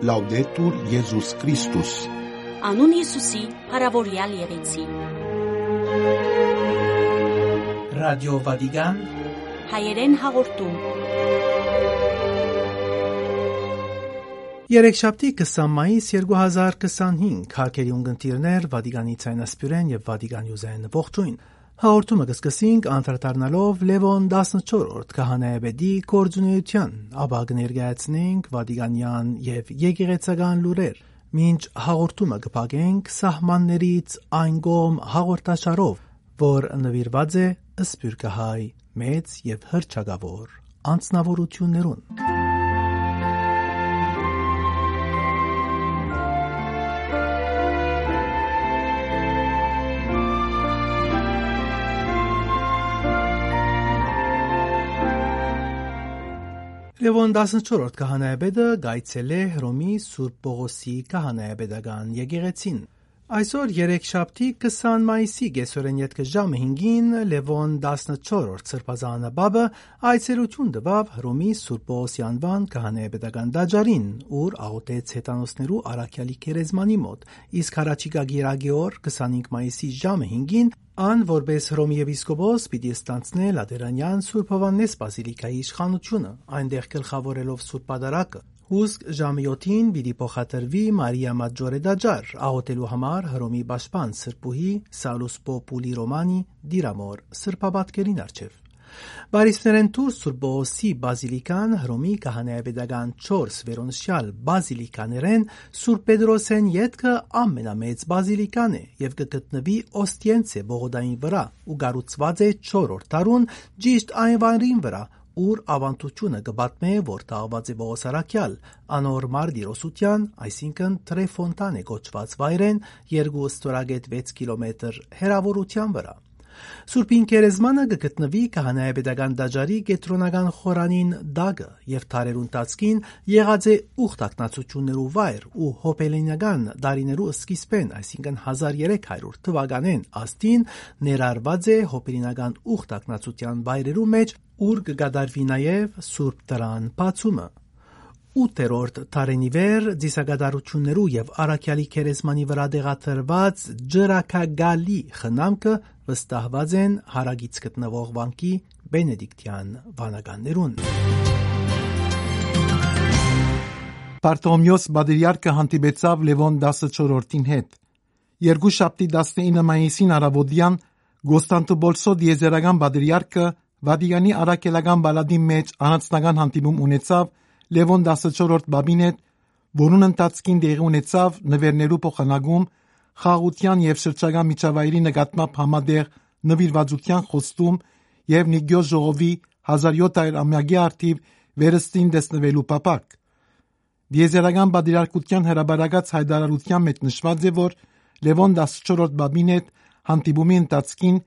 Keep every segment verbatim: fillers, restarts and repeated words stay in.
Լաուդետուր Եզուս Քրիստոս։ Անուն Յիսուսի փառաւորեալ եղեցի։ Ռադիո Վատիկան, հայերեն հաղորդում։ Երեքշաբթի, քսան մայիս երկու հազար քսանհինգ, հարգելի ունգընտիրներ, Վատիկանի ցայնասփիւռէն եւ Վատիկան News-էն ողջոյն։ Հաղորդումը կը սկսենք անդրադառնալով Լեւոն տասնչորրորդ քահանայապետի գործունեութեան, ապա կը ներկայացնենք Վատիկանեան եւ եկեղեցական լուրեր, մինչ հաղորդումը կը փակենք սահմաններից այն կողմ հաղորդաշարով, որ նուիրուած է սփիւռքահայ մեծ եւ հռչակաւոր անձնաւորութիւններուն։ Լեւոն տասնչորրորդ քահանայապետը կայցելէ Հռոմի Սուրբ Պողոսի քահանայապետական եկեղեցին։ Այսօր, երեքշաբթի, քսան մայիսի կեսօրէն ետքը ժամը հինգին, Լեւոն տասնչորրորդ սրբազան պապը այցելութիւն տուաւ Հռոմի Սուրբ Պողոսի անուան քահանայապետական տաճարին, ուր աղօթեց հեթանոսներու առաքեալի գերեզմանի մօտ, իսկ հառաջիկայ կիրակի օր, քսանհինգ մայիսի ժամը հինգին, ան որպէս Հռոմի եպիսկոպոս պիտի ստանձնէ Լատերանեան Սուրբ Յովհաննէս բազիլիկայի իշխանութիւնը, այնտեղ գլխաւորելով Սուրբ Պատարագը։ Հուսկ ժամը յոթին պիտի փոխադրուի Մարիա Մաճորե տաճար, աղօթելու համար Հռոմի պաշտպան սրբուհի Սալուս Պոպուլի Ռոմանի Տիրամոր սրբապատկերին առջեւ։ Պարիսներէն դուրս Սուրբ Պողոսի բազիլիկան Հռոմի քահանայապետական չորս վերոնշեալ բազիլիկաներէն Սուրբ Պետրոսէն ետքը ամենամեծ բազիլիկան է եւ կը գտնուի Օստիենցե պողոտային վրայ ու կառուցուած է չորրորդ դարուն, ճիշտ այն վայրին վրայ, ուր աւանդութիւնը կը պատմէ, որ թաղուած է Պողոս առաքեալ, անոր մարտիրոսութեան, այսինքն Տրեֆոնտանե կոչուած վայրէն երկու ստորագետ վեց կիլոմետր հեռաւորութեան վրայ։ Սուրբին գերեզմանը կը գտնուի քահանայապետական տաճարի կեդրոնական խորանին տակը եւ դարերու ընթացքին եղած է ուխտակնացութիւններու վայր ու հոբելինական տարիներու սկիզբէն, այսինքն հազար երեք հարիւր թուականէն աստին, ներառուած է հոբելինական ուխտակնացութեան վայրերու մէջ, ուր կը կատարուի նաեւ Սուրբ Տրան բացումը։ Ութերորդ դարէն ի վեր ծիսակատարութիւններու եւ առաքեալի գերեզմանի վրայ տեղադրուած ջրակագալի խնամքը վստահուած են հարակից գտնուող վանքի Բենեդիկտեան վանականներուն։ Պարտոմիոս պատրիարքը հանդիպեցաւ Լեւոն տասնչորրորդին հետ։ Երկուշաբթի, տասնինը մայիսին առաւոտեան, Կոստանդնուպոլսոյ տիեզերական պատրիարքը Վատիկանի առաքելական պալատին մէջ առանձնական հանդիպում ունեցաւ Լեւոն տասնչորրորդ պապին հետ, որուն ընթացքին տեղի ունեցաւ նուէրներու փոխանակում, խաղաղութեան եւ շրջակայ միջավայրի նկատմամբ համատեղ նուիրուածութեան խոստում եւ Նիկիոս ժողովի հազար յոթ հարիւր ամեակի առթիւ վերստին տեսնուելու փափաք։ Տիեզերական պատրիարքութեան հրապարակած յայտարարութեան մէջ նշուած է, որ Լեւոն տասնչորրորդ պապին հետ հանդիպումի ընթացքին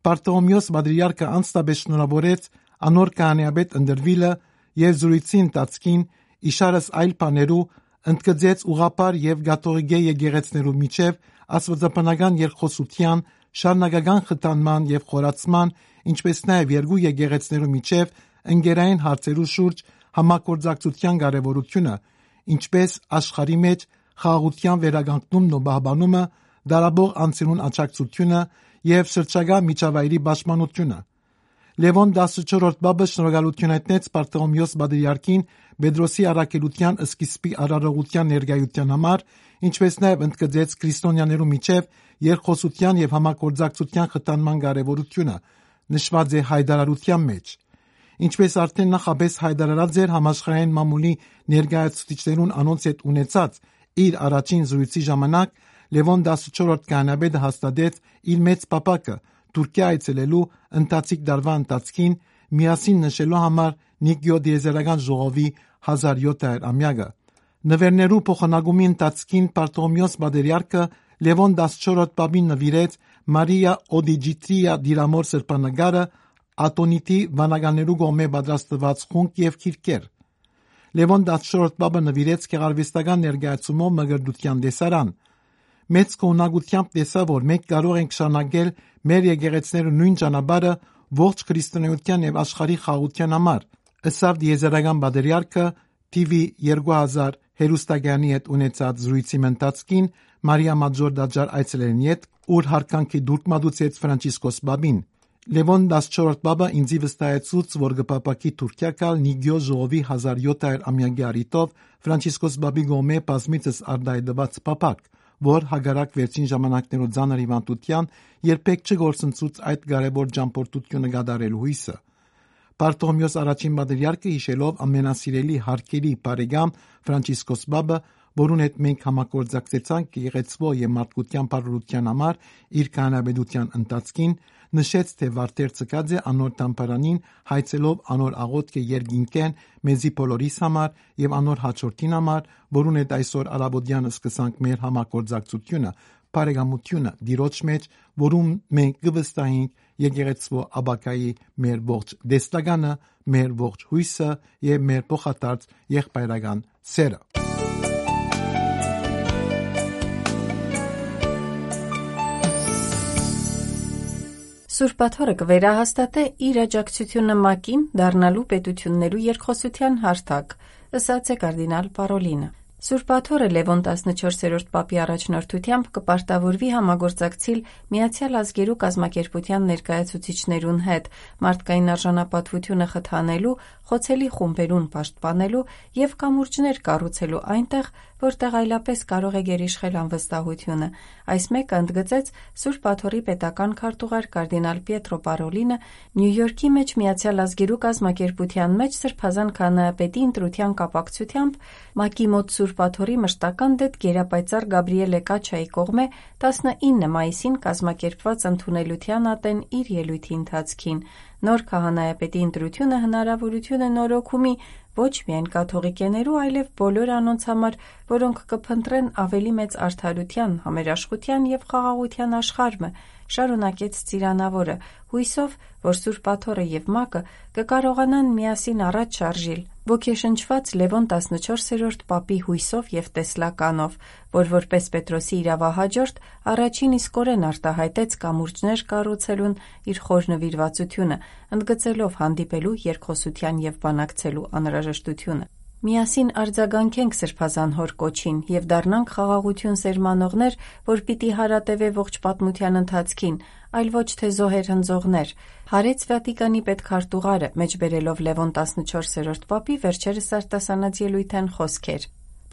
Պարտոմիոս պատրիարքը անձնապէս շնորհաւորեց անոր քահանայապետ ընտրուիլը եւ զրոյցի ընթացքին, իշարս այլ բաներու, ընդգծեց ուղղափառ եւ կաթողիկէ եկեղեցիներու միջեւ աստուածաբանական երկխօսութեան շարունակական խթանման եւ խորացման, ինչպէս նաեւ երկու եկեղեցիներու միջեւ ընկերային հարցերու շուրջ համագործակցութեան կարեւորութիւնը, ինչպէս աշխարհի մէջ խաղաղութեան վերականգնումն ու պահպանումը, դարապող անձերուն աջակցությունը եւ շրջակայ միջավայրի պաշտպանությունը։ Լեւոն տասնչորրորդ պապը շնորհակալութիւն հայտնեց Պարտոմիոս պատրիարքին Պետրոսի առաքելութեան սկիզբի արարողութեան ներկայութեան համար, ինչպէս նաեւ ընդգծեց քրիստոնեաներու միջեւ երկխօսութեան եւ համագործակցութեան խթանման կարեւորութիւնը, նշուած է յայտարարութեան մէջ։ Ինչպէս արդէն նախապէս յայտարարած էր համաշխարհային մամուլի ներկայացուցիչներուն անոնց հետ ունեցած իր առաջին զրոյցի ժամանակ, Լեւոն տասնչորրորդ քահանայապետը հաստատեց իր մեծ փափաքը Թուրքիա այցելելու ընթացիկ տարուայ ընթացքին, միասին նշելու համար Նիկիոս տիեզերական ժողովի հազար յոթ հարիւր ամեակը։ Նուէրներու փոխանակումի ընթացքին Պարտոմիոս պատրիարքը Լեւոն տասնչորրորդ պապին նուիրեց Մարիա Օդիջիտրիա Տիրամոր սրբանկարը, Ատոնիտի վանականներու կողմէ պատրաստուած խունկ եւ գիրքեր։ Լեւոն տասնչորրորդ պապը նուիրեց գեղարուեստական ներկայացումով մկրտութեան տեսարան։ Մեծ գոհունակութեամբ տեսայ, որ մենք կարող ենք շարունակել մեր եկեղեցիներու նոյն ճանապարհը ողջ քրիստոնէութեան եւ աշխարհի խաղաղութեան համար, ըսաւ տիեզերական պատրիարքը, T V երկու հազար հեռուստակայանի հետ ունեցած զրոյցի ընթացքին Մարիա Մաձոր տաճար այցելելէն յետ, ուր յարգանքի տուրք մատուցեց Ֆրանցիսկոս Պապին։ Լեւոն տասնչորրորդ Պապը ինծի վստահեցուց, որ կը փափաքի Թուրքիա գալ Նիկիոս ժողովի հազար յոթ հարիւր ամեակի առիթով Ֆրանցիսկոս Պապի կողմէ բազմիցս արտայայտուած փափաք, որ հակառակ վերջին ժամանակներու ծանր հիւանդութեան երբեք չկորսնցուց այդ կարեւոր ճամբորդութիւնը կատարելու յուսը։ Բարթողմէոս առաջին պատրիարքը յիշելով ամենասիրելի հարգելի բարեկամ Ֆրանցիսկոս Պապը, որուն հետ մենք համագործակցեցանք եկեղեցւոյ եւ մարդկութեան բարօրութեան համար իր քահանայապետութեան ընթացքին, նշեց, թէ վարդեր ցկած է անոր դամբարանին, հայցելով անոր աղօթքը երկինքէն մեզի բոլորիս համար եւ անոր հաջորդին համար, որուն հետ այսօր առաւօտեան սկսանք մեր համագործակցութիւնը, բարեկամութիւնը Տիրոջ մէջ, որուն մենք կը վստահենք եկեղեցւոյ ապագայի մեր ողջ տեսլականը, մեր ողջ յուսը եւ մեր փոխադարձ եղբայրական սերը։ Սուրբ Աթոռը կը վերահաստատէ իր աջակցութիւնը ՄԱԿ-ին դառնալու պետութիւններու երկխօսութեան հարթակ, ըսած է կարդինալ Պարոլինը։ Սուրբ Աթոռը Լեւոն տասնչորսերորդ Պապի առաջնորդութեամբ կը պարտաւորուի համագործակցիլ Միացեալ Ազգերու կազմակերպութեան ներկայացուցիչներուն հետ, մարդկային արժանապատուութիւնը խթանելու, խոցելի խումբերուն պաշտպանելու եւ կամուրջներ կառուցելու այնտեղ, որտեղ այլապես կարող է գերիշխել անվստահութիւնը։ Այս մէկը ընդգծեց Սուրբ Աթոռի պետական քարտուղար կարդինալ Պիետրո Պարոլինը Նիու Յորքի մէջ Միացեալ Ազգերու կազմակերպութեան մէջ Սրբազան քահանայապետի ընտրութեան կապակցութեամբ ՄԱԿ-ի մօտ Սուրբ Աթոռի մշտական դէտ գերապայծառ Գաբրիէլէ Կաչայի կողմէ տասնինը մայիսին կազմակերպուած ընդունելութեան ատեն իր ելոյթի ընթացքին։ Նոր քահանայապետի ընտրութիւնը հնարաւորութիւն է նորոգումի ոչ միայն կաթողիկեներու, այլեւ բոլոր անոնց համար, որոնք կը փնտռեն աւելի մեծ արդարութեան, համերաշխութեան եւ խաղաղութեան աշխարհ մը, շարունակեց ծիրանաւորը, յուսով, որ Սուրբ Աթոռը եւ ՄԱԿ-ը կը կարողանան միասին առաջ շարժիլ, ոգեշնչուած Լեւոն տասնչորսերորդ Պապի յուսով եւ տեսլականով, որ որպես Պետրոսի իրաւահաջորդ առաջին իսկօրէն արտայայտեց կամուրջներ կառուցելուն իր խոր նուիրուածութիւնը, ընդգծելով հանդիպելու, երկխօսութեան եւ բանակցելու անհրաժեշտութիւնը։ «Միասին արձագանքենք Սրբազան Հօր կոչին եւ դառնանք խաղաղութիւն սերմանողներ, որ պիտի հարատեւէ ողջ պատմութեան ընթացքին, այլ ոչ թէ զոհեր հնձողներ», հարեց Վատիկանի պետքարտուղարը, մէջբերելով Լեւոն տասնչորսերորդ Պապի վերջերս արտասանած ելոյթէն խօսքեր։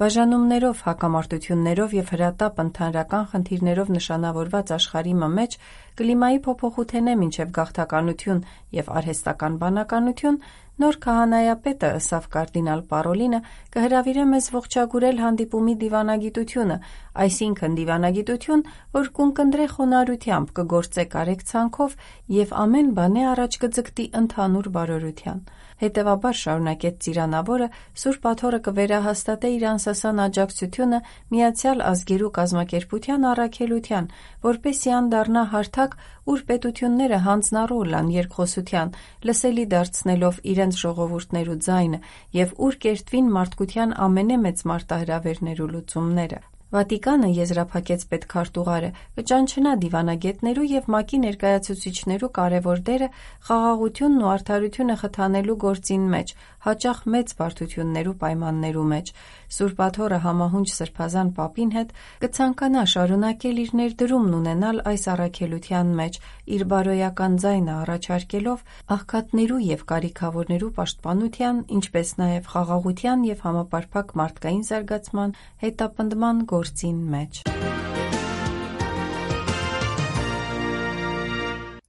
Բաժանումներով, հակամարտութիւններով եւ հրատապ ընդհանրական խնդիրներով նշանաւորուած աշխարհի մը մէջ, կլիմայի փոփոխութենէ մինչեւ գաղթականութիւն եւ արհեստական բանականութիուն, նոր քահանայապետը, ըսաւ կարդինալ Պարոլինը, կը հրաւիրէ մեզ ողջագուրել հանդիպումի դիւանագիտութիւնը, այսինքն դիւանագիտութիւն, որ կ'ունկնդրէ խոնարհութեամբ, կը գործէ կարեկցանքով եւ ամէն բանէ առաջ կը ձգտի ընդհանուր բարօրութեան։ Հետեւաբար, շարունակեց ծիրանաւորը, Սուրբ Աթոռը կը վերահաստատէ իր անսասան աջակցութիւնը Միացեալ Ազգերու կազմակերպութեան առաքելութեան, որպէս զի ան դառնայ հարթակ, ուր պետութիւնները յանձնառու ըլլան երկխօսութեան, լսելի դարձնելով իրենց ժողովուրդներու ձայնը եւ ուր կերտուին մարդկութեան ամենէ մեծ մարտահրաւերներու լուծումները։ Վատիկանը, եզրափակեց պետքարտուղարը, կը ճանչնայ դիւանագէտներու եւ ՄԱԿ-ի ներկայացուցիչներու կարեւոր դերը խաղաղութիւնն ու արդարութիւնը խթանելու գործին մէջ, յաճախ մեծ բարդութիւններու պայմաններու մէջ։ Սուրբ Աթոռը համահունչ Սրբազան Պապին հետ կը ցանկանայ շարունակել իր ներդրումն ունենալ այս առաքելութեան մէջ, իր բարոյական ձայնը առաջարկելով աղքատներու եւ կարիքաւորներու պաշտպանութեան, ինչպէս նաեւ խաղաղութեան եւ համապարփակ մարդկային զարգացման հետապնդման գործին մէջ։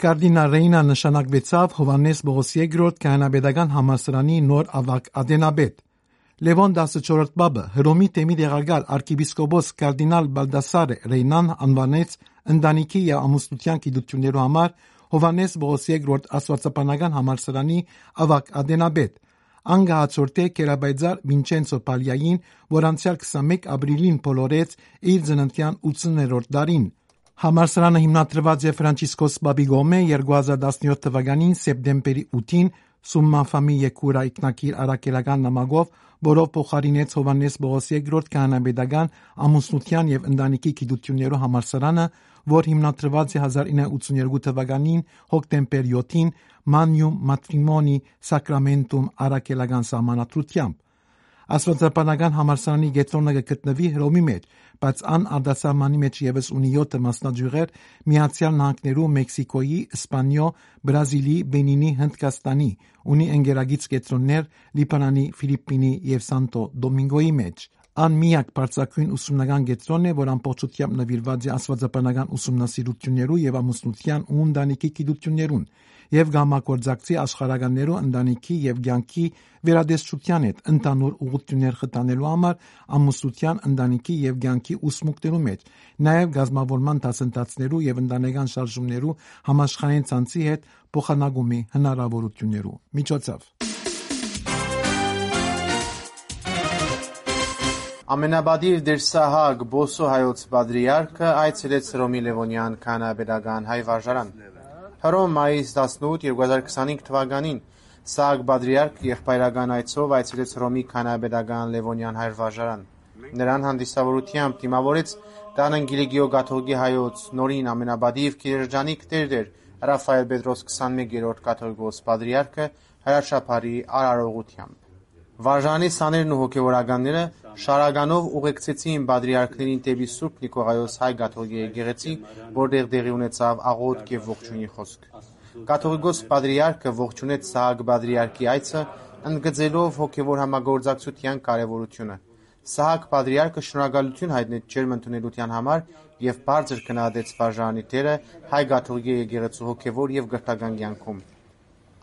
Կարդինալ Ռեյնա նշանակուեցաւ Յովհաննէս Պողոս երկրորդ քահանայապետական համալսարանի նոր աւագ ատենապետ։ Լեւոն տասնչորրորդ Պապը Հռոմի թեմի տեղակալ արքեպիսկոպոս կարդինալ Բալդասարե Ռեյնան անուանեց ընտանիքի եւ ամուսնութեան գիտութիւններու համար Յովհաննէս Պողոս երկրորդ աստուածաբանական համալսարանի աւագ ատենապետ։ Ան կը հաջորդէ գերապայծառ Վինչենցո Պալիային, որ անցեալ քսանմէկ ապրիլին բոլորեց իր ծննդեան ութսուներորդ տարին։ Համալսարանը հիմնադրուած է Ֆրանցիսկոս Պապի կողմէ երկու հազար տասնյոթ թվականին սեպտեմբերի ութին Սումմա Ֆամի Եքուրա ինքնագիր առաքելական նամակով, որով փոխարինեց Յովհաննէս Պողոս երկրորդ քահանայապետական ամուսնութեան եւ ընտանիքի գիտութիւններու համալսարանը, որ հիմնադրուած է հազար ինը ութսուներկու թվականին հոկտեմբեր յոթին Magnum Matrimoni Sacramentum առաքելական սահմանադրութեամբ։ Աստուածաբանական համալսարանի կեդրոնը կը գտնուի Հռոմի մէջ, բայց ան արտասահմանի մէջ եւս ունի եօթը մասնաճիւղեր Միացեալ Նահանգներու, Մեքսիքոյի, Սպանիոյ, Բրազիլի, Պենինի, Հնդկաստանի, ունի ընկերագից կեդրոններ Լիբանանի, Ֆիլիպպինի եւ Սանտո Դոմինգոյի մէջ։ Ան միակ բարձրագոյն ուսումնական կեդրոնն է, որ ամբողջութեամբ նուիրուած է աստուածաբանական ուսումնասիրութիւններու եւ ամուսնութեան ու ընտանիքի գիտութիւններուն եւ կը համագործակցի աշխարհականներու ընտանիքի եւ կեանքի վերատեսչութեան հետ ընդհանուր ուղղութիւններ խթանելու համար ամուսնութեան, ընտանիքի եւ կեանքի ուսմունքներու մէջ, նաեւ կազմաւորման դասընթացներու եւ ընտանեկան շարժումներու համաշխարհային ցանցի հետ փոխանակումի հնարաւորութիւններու միջոցով։ Ամենապատիւ Տէր Սահակ Պոսո հայոց պատրիարքը այցելեց Հռոմի Լեւոնյան քահանայապետական հայ վարժարան։ Հռոմ, մայիս տասնութ, երկու հազար քսանհինգ թվականին Սահակ պատրիարք եղբայրական այցով այցելեց Հռոմի քահանայապետական Լեւոնյան հայ վարժարան։ Նրան հանդիսավորութեամբ դիմաւորեց Տանն Կիլիկիո կաթողիկի հայոց նորին ամենապատիւ գերերջանիկ Տէր Տէր Ռաֆայել Պետրոս քսանմեկերորդ կաթողիկոս պատրիարքը հրաշափառի արարողութեամբ։ Վարժանի սաներն ու հոգեւորականները շարականով ուղեկցեցին պատրիարքներին դէպի Սուրբ Նիկողայոս հայ կաթողիկի եկեղեցի, որտեղ տեղի ունեցաւ աղօթք եւ ողջոյնի խօսք։ Կաթողիկոս պատրիարքը ողջունեց Սահակ պատրիարքի այցը, ընդգծելով հոգեւոր համագործակցութեան կարեւորութիւնը։ Սահակ պատրիարքը շնորհակալութիւն յայտնեց ջերմ ընդունելութեան համար եւ բարձր գնահատեց վարժարանի դերը հայ կաթողիկի եկեղեցու հոգեւոր եւ կրթական կեանքում։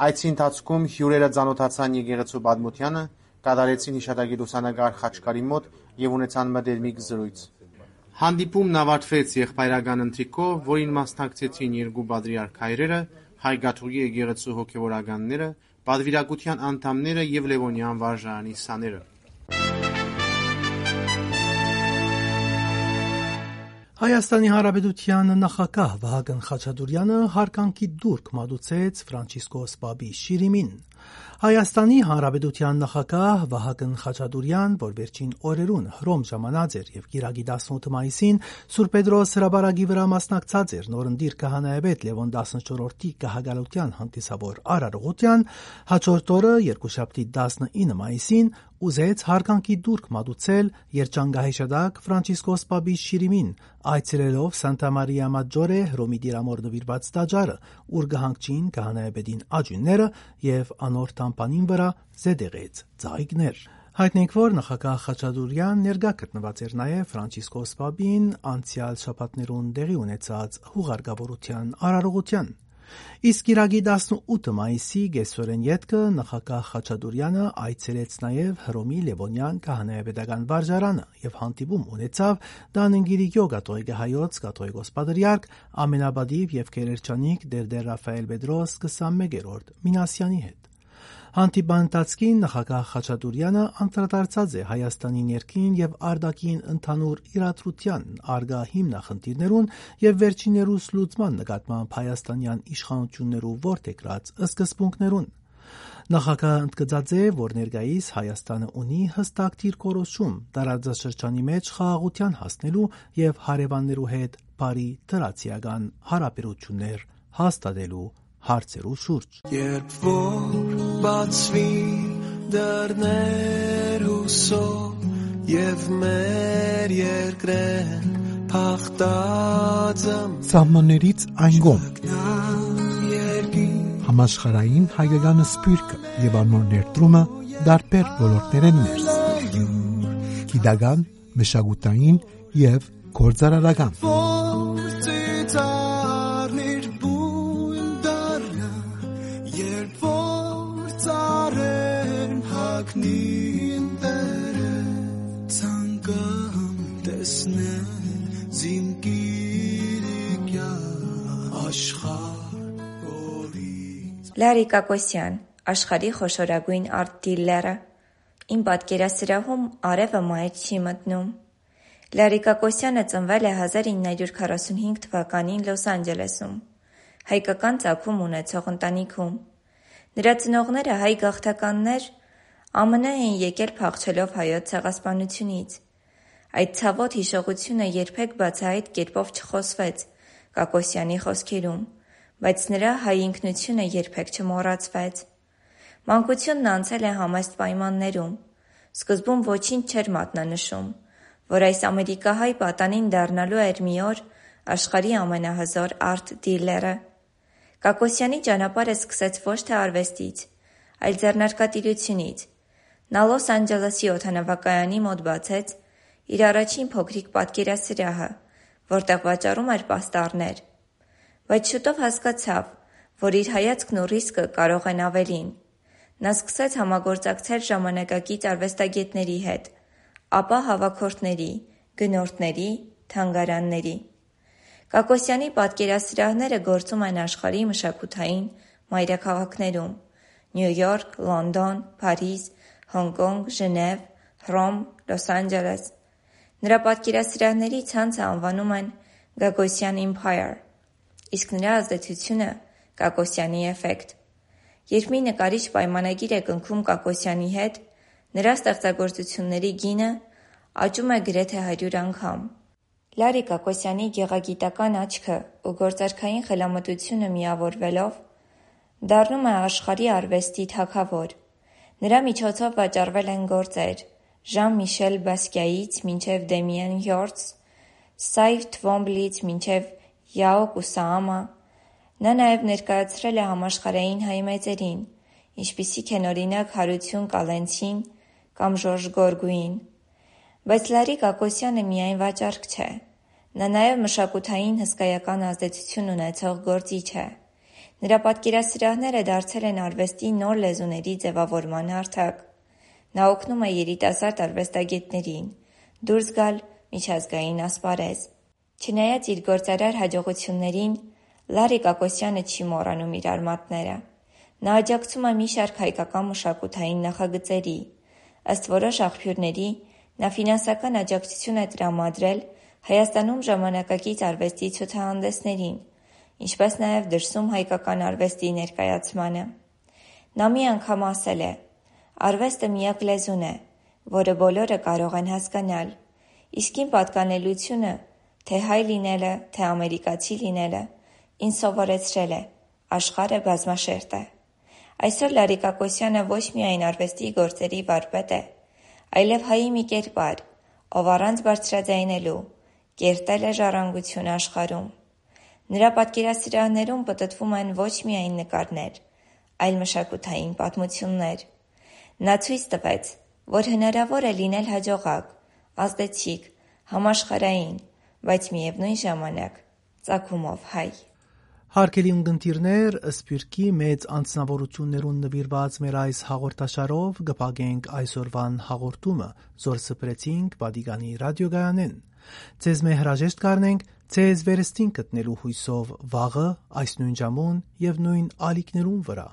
Այցի ընթացքում հիւրերը ծանօթացան եկեղեցու պատմութեանը, կատարեցին յիշատակի լուսանկար խաչքարի մօտ եւ ունեցան մտերմիկ զրոյց։ Հանդիպումն ավարտվեց եղբայրական ընթրիքով, որին մասնակցեցին երկու պատրիարք հայրերը, հայ կաթողիկի եկեղեցու հոգեւորականները, պատվիրակութեան անդամները եւ Լեւոնեան վարժարանի սաները։ Հայաստանի Հանրապետութեան նախագահ Վահագն Խաչատուրեանը յարգանքի տուրք մատուցեց Ֆրանցիսկոս Պապի շիրիմին։ Հայաստանի Հանրապետութեան նախագահ Վահագն Խաչատուրեան, որ վերջին օրերուն Հռոմ ժամանած էր եւ կիրակի տասնութ մայիսին Սուրբ Պետրոս հրապարակի վրայ մասնակցած էր նորընտիր քահանայապետ Լեւոն տասնչորրորդի գահակալութեան հանդիսաւոր արարողութեան, հաջորդ օրը, երկուշաբթի տասնինը մայիսին, ուզեց յարգանքի տուրք մատուցել երջանկահիշատակ Ֆրանցիսկոս Պապի շիրիմին, այցելելով Սանտա Մարիա Մաջորե Հռոմի Տիրամօր նուիրուած տաճարը, ուր կը հանգչին քահանայապետին աճիւնները եւ անոր թամբանին վրայ զետեղեց ծաղիկներ։ Յայտնենք, որ նախագահ Խաչատուրեան ներկայ գտնուած էր նաեւ Ֆրանցիսկոս Պապին անցեալ շաբաթներուն տեղի ունեցած յուղարկաւորութեան արարողութեան։ Իսկ կիրակի տասնութ մայիսի կեսօրէն ետքը նախագահ Խաչատուրեանը այցելեց նաեւ Հռոմի Լեւոնեան քահանայապետական վարժարանը եւ հանդիպում ունեցաւ Տանն Կիլիկիո կաթողիկե հայոց կաթողիկոս պատրիարք ամենապատիւ եւ գերերջանիկ Տէր Տէր Ռաֆայել Պետրոս քսանմեկերորդ Մինասեանի հետ։ Հանդիպման ընթացքին նախագահ Խաչատուրեանը անդրադարձած է Հայաստանի ներքին եւ արտաքին ընդհանուր իրադրութեան, առկայ հիմնախնդիրներուն եւ վերջիններուս լուծման նկատմամբ հայաստանեան իշխանութիւններու որդեգրած սկզբունքներուն։ Նախագահը ընդգծած է, որ ներկայիս Հայաստանը ունի յստակ դիրքորոշում տարածաշրջանի մէջ խաղաղութեան հասնելու եւ հարեւաններու հետ բարի դրացիական յարաբերութիւններ հաստատելու հարցերու շուրջ։ Երբ որ բացուի դռներ ուսով եւ մեր երկրեն փախտած եմ Սահմաններից այն կողմ, երկիր համաշխարհային հայկական սփիւռքը եւ անոր ներդրումը տարբեր ոլորտներէն ներս, գիտական, մշակութային եւ գործարարական։ Որ ծիծաղնիր բուն դառնա, երբ որ ծառերն հագնին դերը, ցանկամ տեսնել զիմ Կիլիկիա աշխարհ օրից։ Լարի Կակոսյան, աշխարհի խոշորագույն արտ դիլլերը։ Իմ պատկերասրահում արեւը մայր չի մտնում։ Լարի Կակոսյանը ծնվել է հազար իննյա յուր քառասունհինգ թվականին Լոս Անջելեսում, հայկական ծագում ունեցող ընտանիքում։ Նրա ծնողները հայ գաղթականներ Ա Մ Ն էին եկել փախչելով հայոց ցեղասպանությունից։ Այդ ցաւոտ յիշողությունը երբեք բացահայտ կերպով չխօսվեց Կակոսյանի խօսքերում, բայց նրա հայ ինքնությունը երբեք չմոռացվեց։ Մանկությունն անցել է համեստ պայմաններում։ Սկզբում ոչինչ չէր մատնանշում, որ այս ամերիկահայ պատանին դառնալու էր մի օր աշխարհի ամենահզոր արթ դիլերը։ Կակոսյանի ճանապարհը սկսեց ոչ թե արուեստից, այլ ձեռնարկատիրությունից։ Նա Լոս Անջելեսի օդանավակայանի մօտ բացեց իր առաջին փոքրիկ պատկերասրահը, որտեղ վաճառում էր պաստառներ։ Բայց շուտով հասկացաւ, որ իր հայացքն ու ռիսկը կարող են ավելին։ Նա սկսեց համագործակցել ժամանակակից արուեստագետների հետ, ապա՝ հաւաքորդների, գնորդների, թանգարանների։ Կակոսյանի պատկերասրահները գործում են աշխարհի մշակութային մայրաքաղաքներում՝ Նիու Յորք, Լոնդոն, Փարիզ, Հոնկոնկ, Ժնեւ, Հռոմ, Լոս Անջելես։ Նրա պատկերասրահների ցանցը անվանում են Կակոսյան Empire, իսկ նրա ազդեցությունը՝ Կակոսյանի էֆեկտ։ Երբ մի նկարիչ պայմանագիր է կնքում Կակոսյանի հետ, նրա ստեղծագործությունների գինը աճում է գրեթե հարյուր անգամ։ Լարի Կակոսյանի գեղագիտական աչքը ու գործարքային խելամտությունը միավորվելով՝ դառնում է աշխարհի արուեստի թագաւոր։ Նրա միջոցով վաճառվել են գործեր Ժան Միշել Բասկիայից մինչեւ Դեմիեն Հյորտս, Սայվ Թվոմբլից մինչեւ Յաո Կուսաամա։ Նա նաեւ ներկայացրել է համաշխարհային հայ մեծերին, ինչպիսիք են, օրինակ, Հարություն Կալենցին կամ Ժորժ Գորգուին։ Բայց Լարի Կակոսյանը միայն վաճառք չէ։ Նա նաեւ մշակութային հսկայական ազդեցություն ունեցող գործիչ է։ Նրա պատկերասրահները դարձել են արուեստի նոր լեզուների ձեւավորման հարթակ։ Նա օգնում է երիտասարդ արուեստագետներին դուրս գալ միջազգային ասպարեզ։ Չնայած իր գործարար յաջողություններին, Լարի Կակոսյանը չի մոռանում իր արմատները։ Նա աջակցում է մի շարք հայկական մշակութային նախագծերի։ Ըստ որոշ աղբիւրների, նա ֆինանսական աջակցություն է տրամադրել Հայաստանում ժամանակակից արուեստի ցուցահանդեսներին, ինչպէս նաեւ դրսում հայկական արուեստի ներկայացմանը։ Նա մի անգամ ասել է. «Արուեստը միակ լեզուն է, որը բոլորը կարող են հասկանալ»։ Իսկ իմ պատկանելիությունը, թե հայ լինելը, թե ամերիկացի լինելը, ինձ սովորեցրել է. աշխարհը բազմաշերտ է։ Այսօր Լարի Կակոսյանը ոչ միայն արուեստի գործերի վարպետ է, այլեւ հայի մի կերպար, ով առանց բարձրաձայնելու կերտել է ժառանգությունը աշխարհում։ Նրա պատկերասրահներում պտտվում են ոչ միայն նկարներ, այլ մշակութային պատմություններ։ Նա ցոյց տուեց, որ հնարաւոր է լինել յաջողակ, ազդեցիկ, համաշխարհային, բայց միեւնոյն ժամանակ ծագումով հայ։ Հարգելի ունկնդիրներ, սփիւռքի մեծ անձնաւորութիւններուն նուիրուած մեր այս հաղորդաշարով կը փակենք այսօրուան հաղորդումը, զոր սփռեցինք Պատիկանի ռադիոգայանէն։ Ձեզմէ հրաժեշտ կ'առնենք ձեզ վերստին գտնելու յուսով վաղը այս նոյն ժամուն եւ նոյն ալիքներուն վրայ,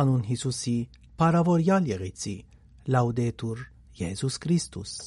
անուն Յիսուսի փառաւորեալ եղեցի։ Լաուդետուր Յիսուս Քրիստոս։